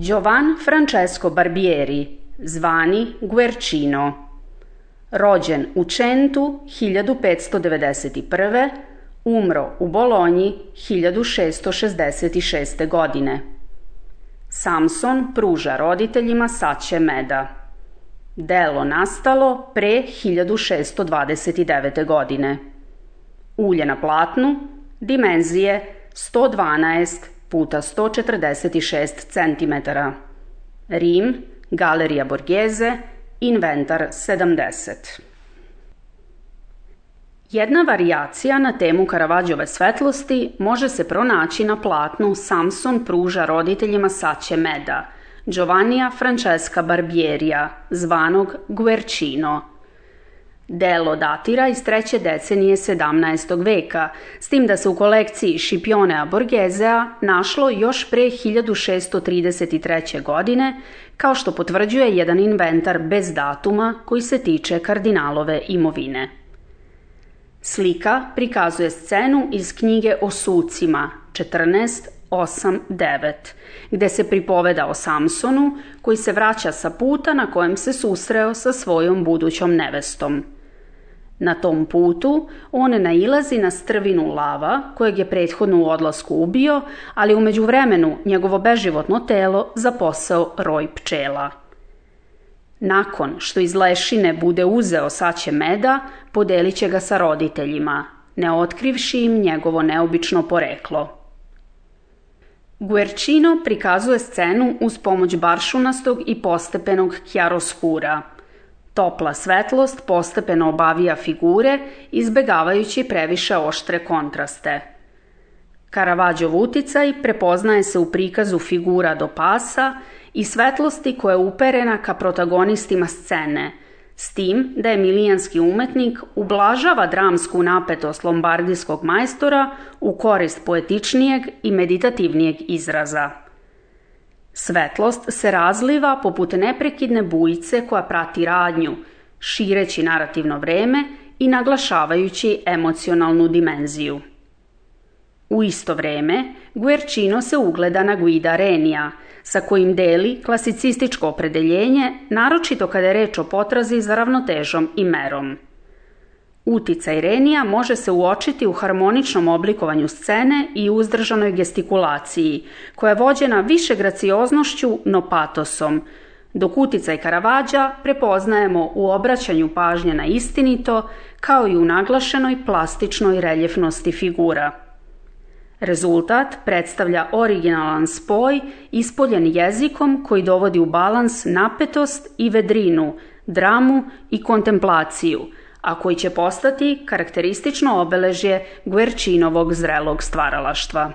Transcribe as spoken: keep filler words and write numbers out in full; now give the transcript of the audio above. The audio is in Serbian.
Giovan Francesco Barbieri, zvani Guercino, rođen u Centu hiljadu petsto devedeset prve. Umro u Bolonji hiljadu šeststo šezdeset šeste. godine. Samson pruža roditeljima saće meda. Delo nastalo pre hiljadu šeststo dvadeset devete. godine. Ulje na platnu, dimenzije sto dvanaest puta sto četrdeset šest centimetara. Rim, Galerija Borghese, inventar sedamdeset. Jedna varijacija na temu Karavadžove svetlosti može se pronaći na platnu Samson pruža roditeljima saće meda, Giovannija Francesca Barbierija, zvanog Guercino. Delo datira iz treće decenije sedamnaestog veka, s tim da se u kolekciji Scipionea Borghesea našlo još pre hiljadu šeststo trideset treće. godine, kao što potvrđuje jedan inventar bez datuma koji se tiče kardinalove imovine. Slika prikazuje scenu iz knjige o sucima četrnaest osam devet, gde se pripoveda o Samsonu koji se vraća sa puta na kojem se susreo sa svojom budućom nevestom. Na tom putu on nailazi na strvinu lava kojeg je prethodno u odlasku ubio, ali u međuvremenu njegovo beživotno telo zaposeo roj pčela. Nakon što iz lešine bude uzeo saće meda, podelit će ga sa roditeljima, ne otkrivši im njegovo neobično poreklo. Guercino prikazuje scenu uz pomoć baršunastog i postepenog chiaroscura. Topla svetlost postepeno obavija figure, izbegavajući previše oštre kontraste. Karavadžov uticaj prepoznaje se u prikazu figura do pasa i svetlosti koja je uperena ka protagonistima scene, s tim da emilijanski umetnik ublažava dramsku napetost lombardijskog majstora u korist poetičnijeg i meditativnijeg izraza. Svetlost se razliva poput neprekidne bujice koja prati radnju, šireći narativno vreme i naglašavajući emocionalnu dimenziju. U isto vreme, Guercino se ugleda na Guida Renija, sa kojim deli klasicističko opredeljenje, naročito kada je reč o potrazi za ravnotežom i merom. Uticaj Renija može se uočiti u harmoničnom oblikovanju scene i uzdržanoj gestikulaciji, koja je vođena više gracioznošću no patosom, dok uticaj Karavadža prepoznajemo u obraćanju pažnje na istinito, kao i u naglašenoj plastičnoj reljefnosti figura. Rezultat predstavlja originalan spoj ispoljen jezikom koji dovodi u balans napetost i vedrinu, dramu i kontemplaciju, a koji će postati karakteristično obeležje Guercinovog zrelog stvaralaštva.